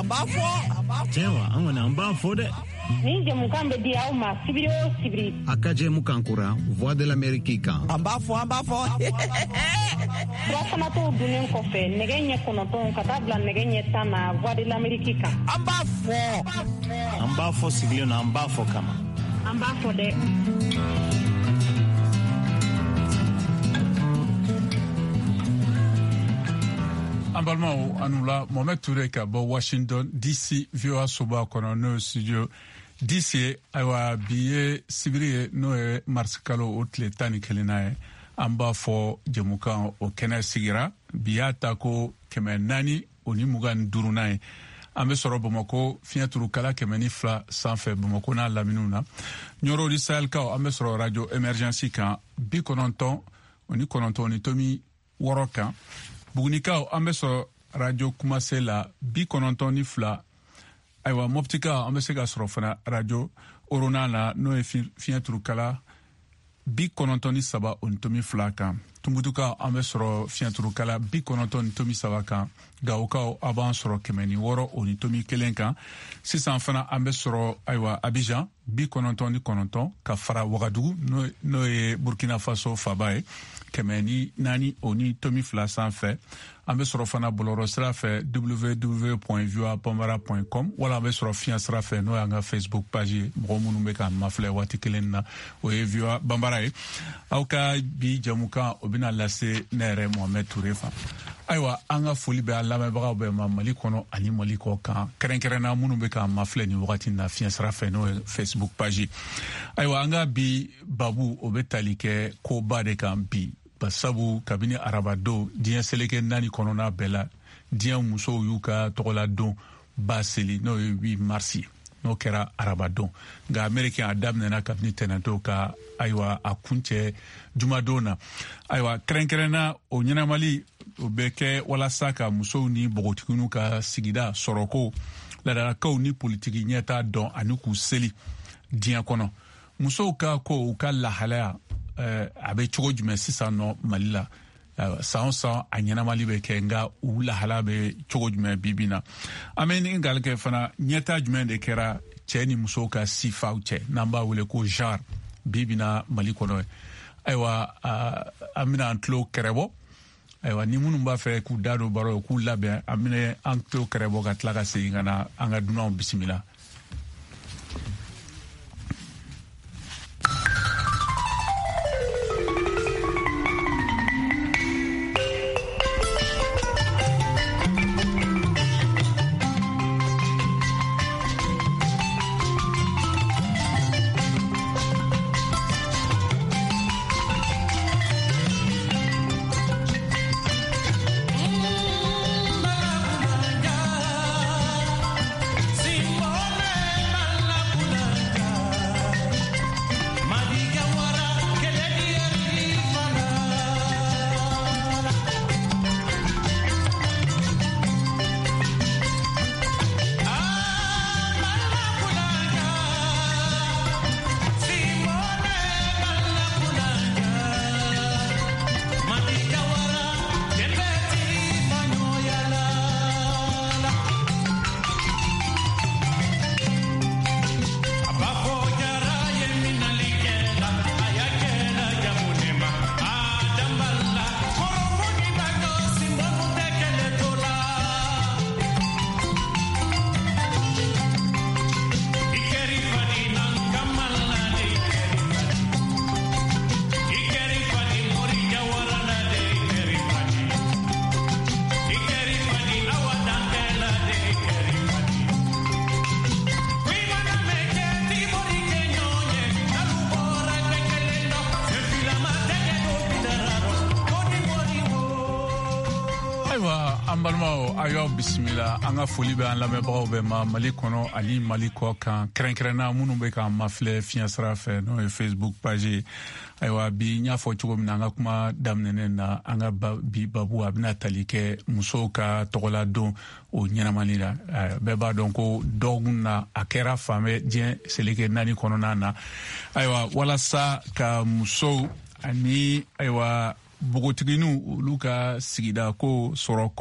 b'a fɔ. Cɛwa, an kɔni an b'a fɔ dɛ. Nin jɛmukan bɛ di aw ma sibiri o sibiri. A ka jɛmukan kura Voix de l'Amérique kan. An b'a fɔ, an b'a fɔ. Surafanatɔw dunnen kɔfɛ nɛgɛ ɲɛ 9 ka taa bila nɛgɛ ɲɛ 10 na Voix de l'Amérique kan. An b'a fɔ. An b'a fɔ sigilen na, an b'a fɔ kama. An b'a fɔ dɛ. An balimaw, aw ni wula. Mohamed Toure ka bɔ Washington DC, VOA soba kɔnɔ, n'o ye studio DC ye. Ayiwa, bi ye sibiri ye, n'o ye marisi kalo o tile 11nan ye. An b'a fɔ jɛmukan o kɛnɛ sigira bi y'a ta ko 425nan ye. An bɛ sɔrɔ Bamakɔ fiɲɛturukala 102 sanfɛ, Bamakɔ n'a laminiw na. Ɲɔrɔ ni Sahelkaw, an bɛ sɔrɔ radio Emergence kan 99.6 kan. Bugunikaw, an bɛ sɔrɔ radio Kumase la 92. Ayiwa, Moptikaw, an bɛ se ka sɔrɔ fana radio Orona la, n'o ye fiɲɛturukala 93.2 kan. Tumutukaw, an bɛ sɔrɔ fiɲɛturukala 90.3 kan. Gawokaw, a b'an sɔrɔ 106.1 kan. Sisan fana an bɛ sɔrɔ, ayiwa, Abidjan 99 ka fara Wagadugu, n'o ye Burkina Faso faba ye, 104.2 sanfɛ. An bɛ sɔrɔ fana bɔlɔlɔ sira fɛ www.voabambara.com, wala an bɛ sɔrɔ fiɲɛ sira fɛ, n'o y'an ka Facebook page ye. Mɔgɔ minnu bɛ k'an mafilɛ waati kelen na, o ye VOA Bambara ye. Aw ka bi jɛmukan o bɛna lase ne yɛrɛ Mohamed Toure fan. Ayiwa, an ka foli bɛ an lamɛnbagaw bɛɛ ma Mali kɔnɔ ani Mali kɔ kan, kɛrɛnkɛrɛnna minnu bɛ k'an mafilɛ nin wagati na fiɲɛ sira fɛ, n'o ye Facebook page ye. Ayiwa, an ka bi babu o bɛ tali kɛ koba de kan bi, basabu kabini arabadon diɲɛ seleke 4 kɔnɔna bɛɛ la, diɲɛ musow y'u ka tɔgɔladon ba seli, n'o ye 8 mars ye, n'o kɛra arabadon. Nka Ameriki a daminɛna kabini tɛnɛntɔ ka, ayiwa, a kuncɛ jumadon na. Ayiwa, kɛrɛnkɛrɛnna o ɲɛnamali o bɛ kɛ walasa ka musow ni npogotigininw ka sigida sɔrɔko, laadalakaw ni politiki ɲɛta dɔn ani k'u seli diɲɛ kɔnɔ. Musow ka ko, u ka lahalaya, a bɛ cogo jumɛn sisan nɔ Mali la? San o san a ɲɛnamali bɛ kɛ, nka u lahala bɛ cogo jumɛn bi bi na? An bɛ ɲininkali kɛ fana, ɲɛta jumɛn de kɛra cɛ ni musow ka sifaw cɛ, n'an b'a wele ko genre, bi bi na Mali kɔnɔ? Ayiwa, an bɛna an tulo kɛrɛbɔ. Ayiwa, ni minnu b'a fɛ k'u da don baro, k'u labɛn, an bɛna an tulo kɛrɛbɔ ka tila ka segin ka na an ka dunanw bisimila. An balimaw, a y'aw bisimila. An ka foli bɛ an lamɛnbagaw bɛɛ ma Mali kɔnɔ ani Mali kɔ kan, kɛrɛnkɛrɛnna minnu bɛ k'an mafilɛ fiɲɛ sira fɛ, n'o ye Facebook page ye. Ayiwa, bi n y'a fɔ cogo min na an ka kuma daminɛnen na, an ka bi babu a bɛna tali kɛ musow ka tɔgɔladon o ɲɛnamani la. Bɛɛ b'a dɔn ko dɔgɔkun na a kɛra fan bɛɛ diɲɛ seleke 4 kɔnɔna na. Ayiwa, walasa ka musow ani, ayiwa, npogotigininw olu ka sigida ko sɔrɔ ko